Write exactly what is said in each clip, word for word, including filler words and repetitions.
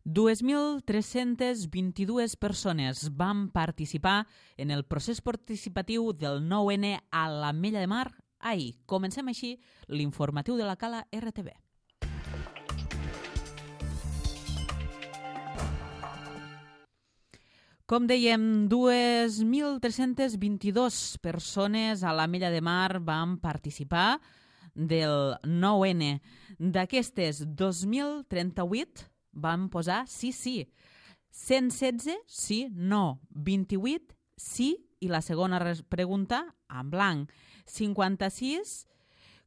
dos mil tres-centes vint-i-dues persones van participar en el procés participatiu del nou ene a l'Ametlla de Mar ahir. Comencem així l'informatiu de la Cala erre te ve. Com dèiem, dos mil tres-centes vint-i-dues persones a l'Ametlla de Mar van participar del nou ene. D'aquestes, dos mil trenta-vuit van posar sí, sí. cent setze, sí, no. vint-i-vuit, sí. I la segona pregunta, en blanc. cinquanta-sis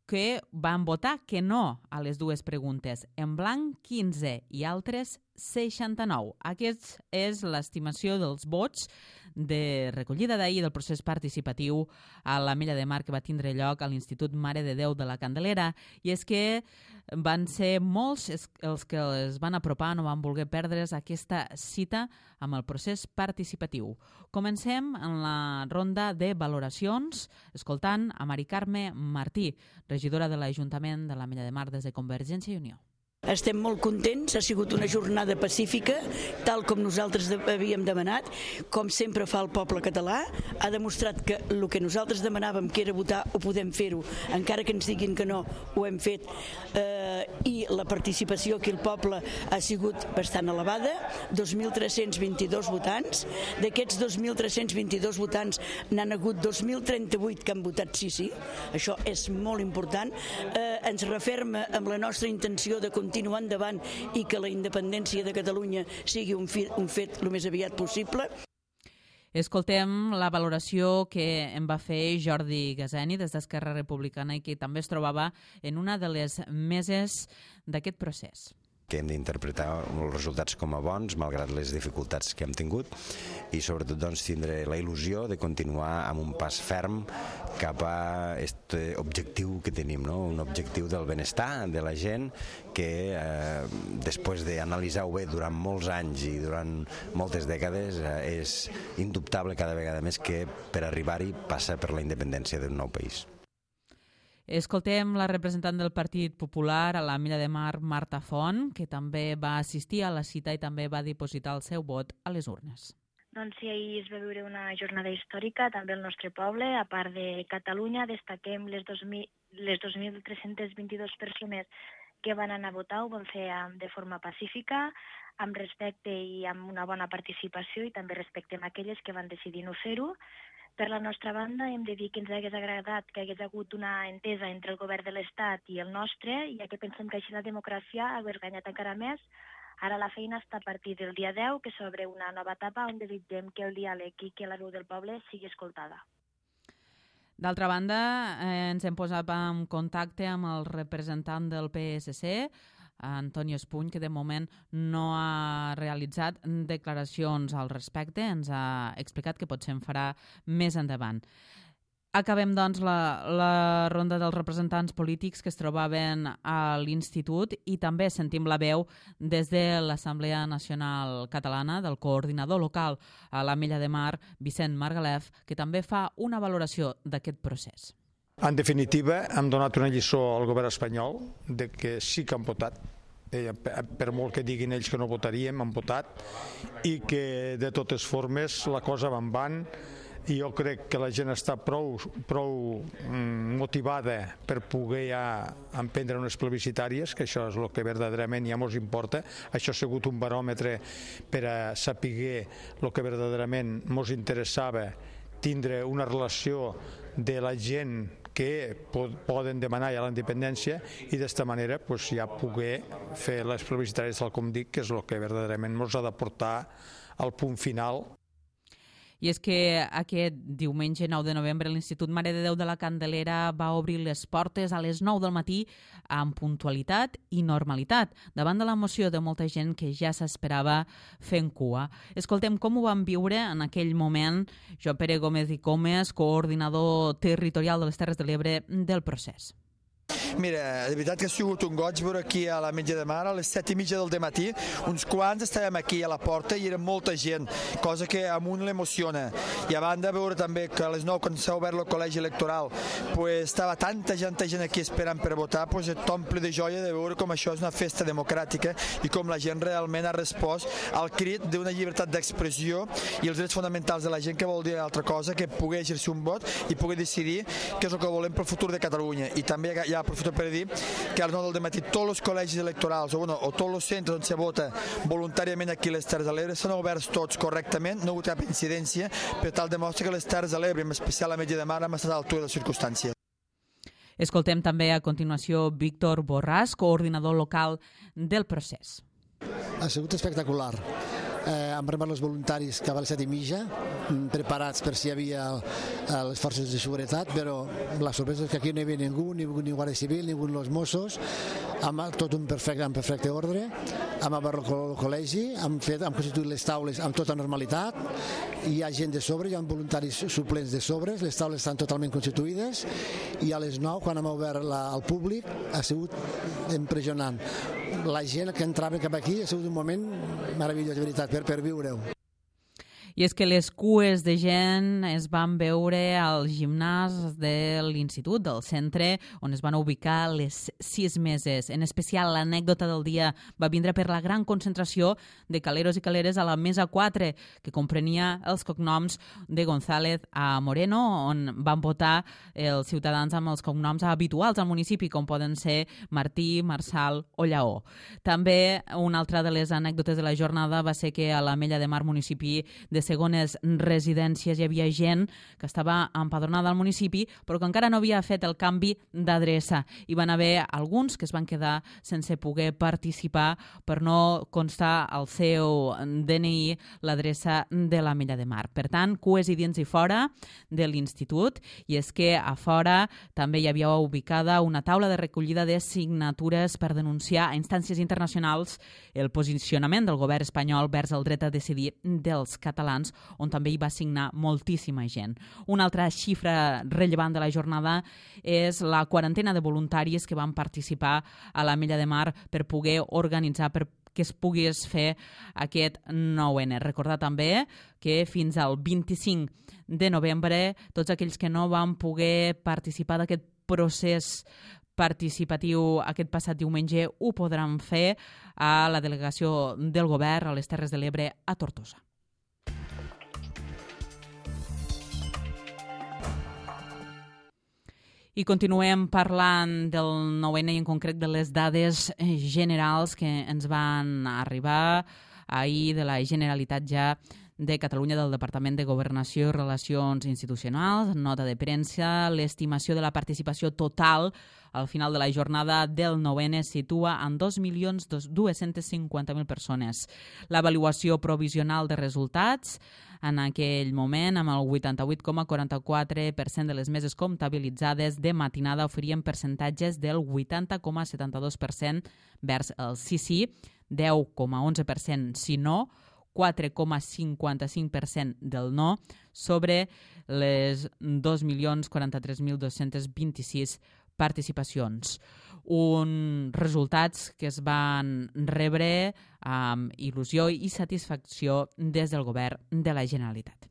que van votar que no a les dues preguntes. En blanc, quinze i altres seixanta-nou. Aquesta és l'estimació dels vots de recollida d'ahir del procés participatiu a l'Ametlla de Mar que va tindre lloc a l'Institut Mare de Déu de la Candelera. I és que van ser molts els que es van apropar, no van voler perdre's aquesta cita amb el procés participatiu. Comencem en la ronda de valoracions escoltant a Mari Carme Martí, regidora de l'Ajuntament de l'Ametlla de Mar des de Convergència i Unió. Estem molt contents, ha sigut una jornada pacífica, tal com nosaltres havíem demanat, com sempre fa el poble català, ha demostrat que el que nosaltres demanàvem, que era votar, ho podem fer-ho, encara que ens diguin que no, ho hem fet, eh, i la participació aquí al poble ha sigut bastant elevada, dos mil tres-cents vint-i-dos votants, d'aquests dos mil tres-cents vint-i-dos votants n'han hagut dos mil trenta-vuit que han votat sí, sí, això és molt important, eh, ens referma amb la nostra intenció de continuar continuar endavant i que la independència de Catalunya sigui un, fi, un fet el més aviat possible. Escoltem la valoració que en va fer Jordi Gazeni des d'Esquerra Republicana i que també es trobava en una de les meses d'aquest procés. Que hem d'interpretar els resultats com a bons, malgrat les dificultats que hem tingut, i sobretot doncs, tindre la il·lusió de continuar amb un pas ferm cap a aquest objectiu que tenim, no? Un objectiu del benestar de la gent que eh, després d'analitzar-ho bé durant molts anys i durant moltes dècades eh, és indubtable cada vegada més que per arribar-hi passa per la independència d'un nou país. Escoltem la representant del Partit Popular a l'Ametlla de Mar, Marta Font, que també va assistir a la cita i també va dipositar el seu vot a les urnes. Doncs sí, ahir es va viure una jornada històrica també al nostre poble. A part de Catalunya, destaquem les dos mil tres-centes vint-i-dues persones que van anar a votar, ho van fer de forma pacífica, amb respecte i amb una bona participació, i també respectem aquelles que van decidir no fer-ho. Per la nostra banda, hem de dir que ens hagués agradat que hagués hagut una entesa entre el govern de l'Estat i el nostre, ja que pensem que així la democràcia hagués guanyat encara més. Ara la feina està a partir del dia deu, que s'obre una nova etapa on desitgem que el diàleg i que la veu del poble sigui escoltada. D'altra banda, eh, ens hem posat en contacte amb el representant del pe esse ce, Antonio Espuny, que de moment no ha realitzat declaracions al respecte. Ens ha explicat que potser en farà més endavant. Acabem, doncs, la, la ronda dels representants polítics que es trobaven a l'Institut i també sentim la veu des de l'Assemblea Nacional Catalana del coordinador local a l'Ametlla de Mar, Vicent Margalef, que també fa una valoració d'aquest procés. En definitiva, hem donat una lliçó al govern espanyol de que sí que han votat, per molt que diguin ells que no votaríem, han votat, i que de totes formes la cosa va en van. I jo crec que la gent està prou, prou motivada per poder ja emprendre unes plebiscitàries, que això és el que verdaderament ja ens importa. Això ha sigut un baròmetre per a saber el que verdaderament ens interessava, tindre una relació de la gent que poden demanar ja la independència i d'esta manera pues, ja poder fer les plebiscitàries tal com dic, que és el que verdaderament ens ha de portar al punt final. I és que aquest diumenge nou de novembre l'Institut Mare de Déu de la Candelera va obrir les portes a les nou del matí amb puntualitat i normalitat, davant de l'emoció de molta gent que ja s'esperava fent cua. Escoltem com ho van viure en aquell moment Joan Pere Gómez i Comes, coordinador territorial de les Terres de l'Ebre del procés. Mira, de veritat que ha sigut un goig veure aquí a l'Ametlla de Mar a les set i mitja del dematí, uns quants estàvem aquí a la porta i era molta gent, cosa que a un l'emociona. I a banda veure també que a les nou, quan s'ha obert el col·legi electoral, pues, estava tanta gent, tanta gent aquí esperant per votar, pues, t'omple de joia de veure com això és una festa democràtica i com la gent realment ha respost al crit d'una llibertat d'expressió i els drets fonamentals de la gent, que vol dir altra cosa que poder exercir un vot i poder decidir què és el que volem pel futur de Catalunya. I també ja aprofito per dir que a les nou del dematí tots els col·legis electorals o, bueno, o tots els centres on se vota voluntàriament aquí a les Terres de l'Ebre s'han oberts tots correctament, no ha hagut cap incidència, per tal demostra que les Terres de l'Ebre, en especial a l'Ametlla de Mar, han estat a l'altura de les circumstàncies. Escoltem també a continuació Víctor Borràs, coordinador local del procés. Ha sigut espectacular. Eh, han arribat els voluntaris cap a les set i mitja, preparats per si hi havia eh, les forces de seguretat, però la sorpresa és que aquí no hi havia ningú, ni, ni Guàrdia Civil, ni els Mossos, amb tot un perfecte, en perfecte ordre, hem obert el col·legi, hem, fet, hem constituït les taules amb tota normalitat, hi ha gent de sobre, hi ha voluntaris suplents de sobre, les taules estan totalment constituïdes, i a les nou, quan hem obert la, al públic, ha sigut impressionant. La gent que entrava cap aquí ha sigut un moment meravellós, de veritat, per, per viure-ho. I és que les cues de gent es van veure al gimnàs de l'institut, del centre, on es van ubicar les sis meses. En especial, l'anècdota del dia va vindre per la gran concentració de caleros i caleres a la mesa quatre, que comprenia els cognoms de González a Moreno, on van votar els ciutadans amb els cognoms habituals al municipi, com poden ser Martí, Marçal o Lleó. També una altra de les anècdotes de la jornada va ser que a l'Ametlla de Mar, municipi de segones residències, hi havia gent que estava empadronada al municipi però que encara no havia fet el canvi d'adreça. Hi van haver alguns que es van quedar sense poder participar per no constar al seu D N I l'adreça de l'Ametlla de Mar. Per tant, cues i dins i fora de l'institut, i és que a fora també hi havia ubicada una taula de recollida de signatures per denunciar a instàncies internacionals el posicionament del govern espanyol vers el dret a decidir dels catalans, on també hi va signar moltíssima gent. Una altra xifra rellevant de la jornada és la quarantena de voluntaris que van participar a l'Ametlla de Mar per poder organitzar, per que es pogués fer aquest nou ene. Recordar també que fins al vint-i-cinc de novembre tots aquells que no van poder participar d'aquest procés participatiu aquest passat diumenge ho podran fer a la delegació del govern a les Terres de l'Ebre a Tortosa. I continuem parlant del nou ene i en concret de les dades generals que ens van arribar ahir de la Generalitat ja de Catalunya, del Departament de Governació i Relacions Institucionals, nota de premsa. L'estimació de la participació total al final de la jornada del nou ene es situa en dos milions dos-cents cinquanta mil persones. L'avaluació provisional de resultats en aquell moment, amb el vuitanta-vuit coma quaranta-quatre per cent de les meses comptabilitzades de matinada oferien percentatges del vuitanta coma setanta-dos per cent vers el sí sí, deu coma onze per cent si no, quatre coma cinquanta-cinc per cent del no, sobre les dos milions quaranta-tres mil dos-cents vint-i-sis participacions. Uns resultats que es van rebre amb il·lusió i satisfacció des del govern de la Generalitat.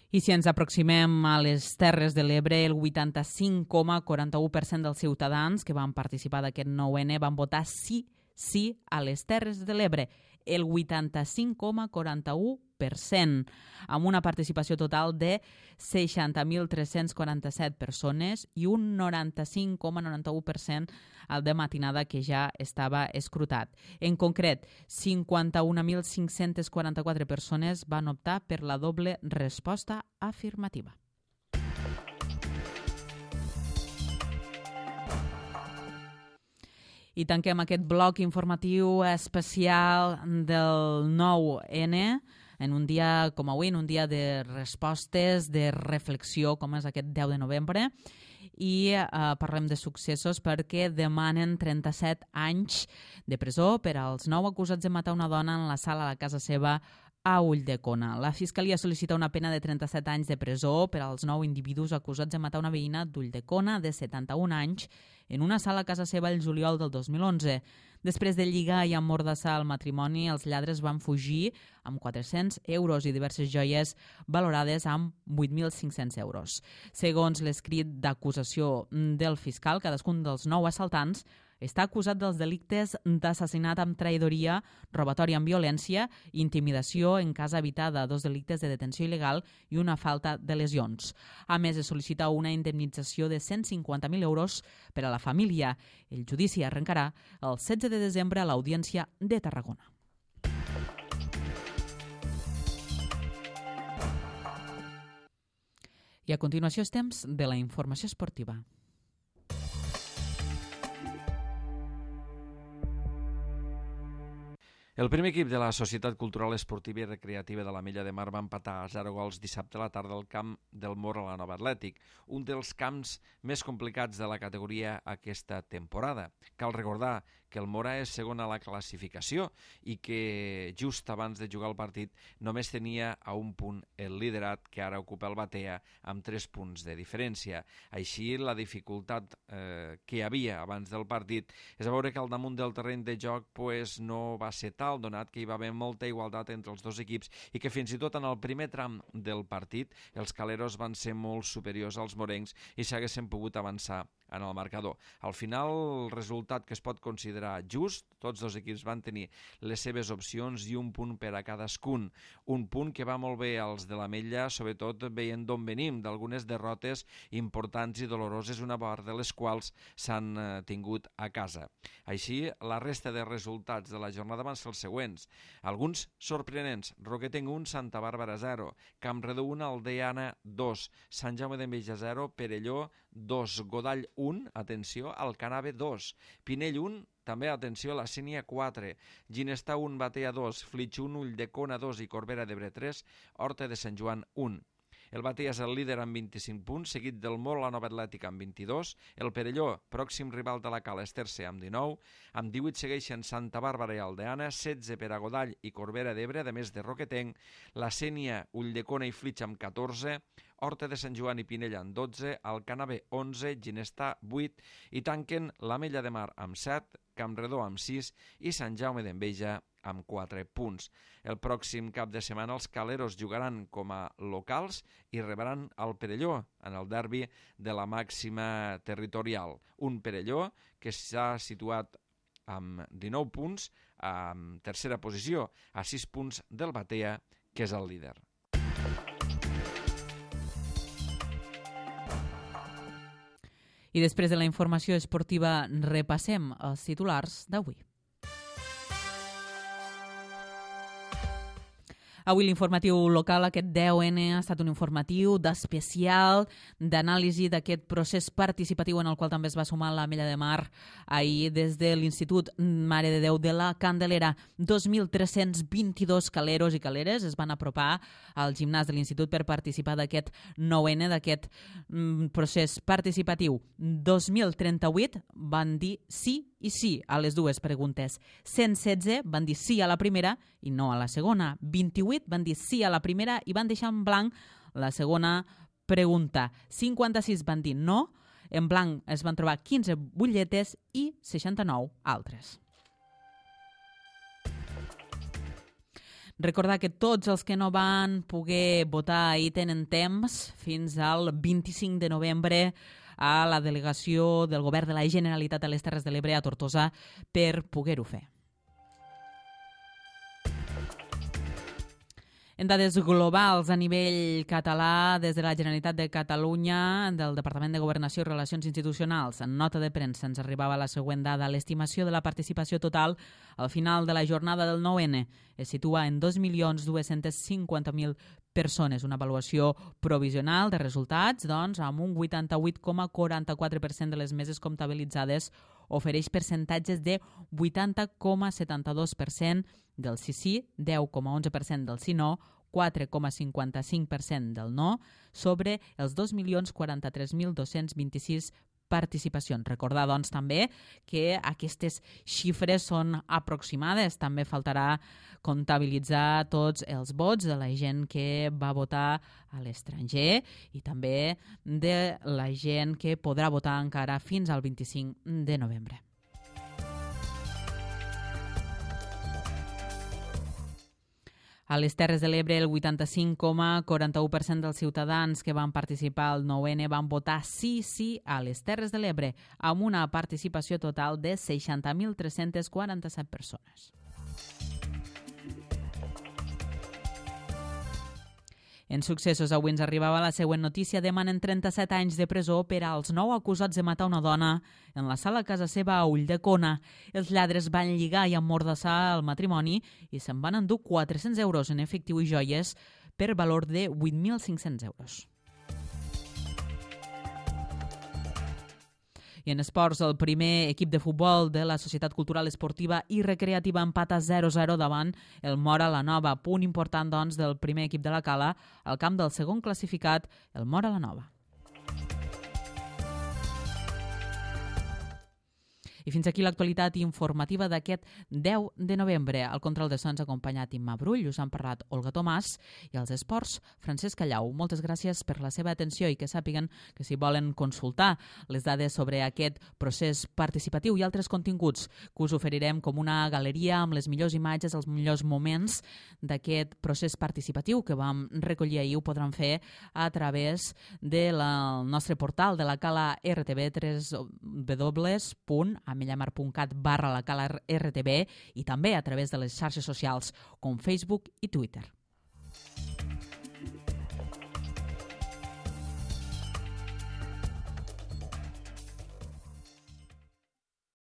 I si ens aproximem a les Terres de l'Ebre, el vuitanta-cinc coma quaranta-u per cent dels ciutadans que van participar d'aquest nou ene van votar sí, sí a les Terres de l'Ebre. El vuitanta-cinc coma quaranta-u per cent, amb una participació total de seixanta mil tres-cents quaranta-set persones i un noranta-cinc coma noranta-u per cent al de matinada que ja estava escrutat. En concret, cinquanta-un mil cinc-cents quaranta-quatre persones van optar per la doble resposta afirmativa. I tanquem aquest bloc informatiu especial del nou ene en un dia com avui, en un dia de respostes, de reflexió, com és aquest deu de novembre, i eh, parlem de successos perquè demanen trenta-set anys de presó per als nou acusats de matar una dona en la sala a la casa seva a Ulldecona. La Fiscalia sol·licita una pena de trenta-set anys de presó per als nou individus acusats de matar una veïna d'Ulldecona de setanta-un anys en una sala a casa seva el juliol del dos mil onze. Després de lligar i emmordassar el matrimoni, els lladres van fugir amb quatre-cents euros i diverses joies valorades amb vuit mil cinc-cents euros. Segons l'escrit d'acusació del fiscal, cadascun dels nou assaltants està acusat dels delictes d'assassinat amb traïdoria, robatori amb violència, intimidació en casa habitada, dos delictes de detenció il·legal i una falta de lesions. A més, es sol·licita una indemnització de cent cinquanta mil euros per a la família. El judici arrencarà el setze de desembre a l'Audiència de Tarragona. I a continuació és temps de la informació esportiva. El primer equip de la Societat Cultural Esportiva i Recreativa de l'Ametlla de Mar va empatar a zero gols dissabte a la tarda al camp del Mor a la Nova Atlètic, un dels camps més complicats de la categoria aquesta temporada. Cal recordar que el Mora és segon a la classificació i que just abans de jugar el partit només tenia a un punt el liderat, que ara ocupa el Batea, amb tres punts de diferència. Així, la dificultat eh, que hi havia abans del partit és a veure que al damunt del terreny de joc pues, no va ser tal, donat que hi va haver molta igualtat entre els dos equips i que fins i tot en el primer tram del partit els caleros van ser molt superiors als morencs i s'haguessin pogut avançar en el marcador. Al final, el resultat que es pot considerar just, tots dos equips van tenir les seves opcions i un punt per a cadascun. Un punt que va molt bé als de l'Ametlla, sobretot veient d'on venim, d'algunes derrotes importants i doloroses, una part de les quals s'han eh, tingut a casa. Així, la resta de resultats de la jornada van ser els següents. Alguns sorprenents: Roquetenc un, Santa Bàrbara zero, Campredó un, Aldeana dos, Sant Jaume d'Enveja zero, Perelló dos, Godall un, atenció, Alcanave dos, Pinell un, també atenció, la Sénia quatre, Ginestar un, Batea dos, Flix un, Ulldecona dos i Corbera d'Ebre tres, Horta de Sant Joan un. El Batea és el líder amb vint-i-cinc punts, seguit del Mor a la Nova Atlètica amb vint-i-dos, el Perelló, pròxim rival de la Cala, és tercer amb dinou, amb divuit segueixen Santa Bàrbara i Aldeana, setze per a Godall i Corbera d'Ebre, a més de Roquetenc, la Sénia, Ulldecona i Flix amb catorze, Horta de Sant Joan i Pinell amb dotze, Alcanave onze, Ginestar vuit i tanquen l'Ametlla de Mar amb set, Campredó amb sis i Sant Jaume d'Enveja amb quatre punts. El pròxim cap de setmana els caleros jugaran com a locals i rebran el Perelló en el derbi de la màxima territorial. Un Perelló que s'ha situat amb dinou punts en tercera posició, a sis punts del Batea, que és el líder. I després de la informació esportiva repassem els titulars d'avui. Avui l'informatiu local, aquest deu ene, ha estat un informatiu d'especial, d'anàlisi d'aquest procés participatiu en el qual també es va sumar l'Ametlla de Mar ahir des de l'Institut Mare de Déu de la Candelera. dos mil tres-cents vint-i-dos caleros i caleres es van apropar al gimnàs de l'Institut per participar d'aquest nou ene, d'aquest mm, procés participatiu. dos mil trenta-vuit van dir sí i sí a les dues preguntes. cent setze van dir sí a la primera i no a la segona. vint-i-vuit van dir sí a la primera i van deixar en blanc la segona pregunta. cinquanta-sis van dir no, en blanc es van trobar quinze butlletes i seixanta-nou altres. Recordar que tots els que no van poder votar ahir tenen temps fins al vint-i-cinc de novembre a la delegació del Govern de la Generalitat a les Terres de l'Ebre a Tortosa per poder-ho fer. En dades globals a nivell català, des de la Generalitat de Catalunya, del Departament de Governació i Relacions Institucionals, en nota de premsa ens arribava la següent dada. L'estimació de la participació total al final de la jornada del nou ene es situa en dos milions dos-cents cinquanta mil persones. Una avaluació provisional de resultats, doncs, amb un vuitanta-vuit coma quaranta-quatre per cent de les meses comptabilitzades ofereix percentatges de vuitanta coma setanta-dos per cent del sí sí, deu coma onze per cent del sí no, quatre coma cinquanta-cinc per cent del no, sobre els dos milions quaranta-tres mil dos-cents vint-i-sis participacions. Recordar, doncs, també que aquestes xifres són aproximades. També faltarà comptabilitzar tots els vots de la gent que va votar a l'estranger i també de la gent que podrà votar encara fins al vint-i-cinc de novembre. A les Terres de l'Ebre, el vuitanta-cinc coma quaranta-u per cent dels ciutadans que van participar al nou ene van votar sí, sí a les Terres de l'Ebre, amb una participació total de seixanta mil tres-cents quaranta-set persones. En successos, avui ens arribava la següent notícia. Demanen trenta-set anys de presó per als nou acusats de matar una dona en la sala a casa seva a Ulldecona. Els lladres van lligar i emmordassar el matrimoni i se'n van endur quatre-cents euros en efectiu i joies per valor de vuit mil cinc-cents euros. I en esports, el primer equip de futbol de la Societat Cultural Esportiva i Recreativa empata zero a zero davant el Móra la Nova. Punt important, doncs, del primer equip de la Cala al camp del segon classificat, el Móra la Nova. I fins aquí l'actualitat informativa d'aquest deu de novembre. Al control de so ens ha acompanyat Imma Brull, us han parlat Olga Tomàs i als esports Francesc Callau. Moltes gràcies per la seva atenció i que sàpiguen que si volen consultar les dades sobre aquest procés participatiu i altres continguts que us oferirem com una galeria amb les millors imatges, els millors moments d'aquest procés participatiu que vam recollir ahir, ho podran fer a través del nostre portal de la Cala R T B, w w w punt amellamar punt cat barra la Cala R T B i també a través de les xarxes socials com Facebook i Twitter.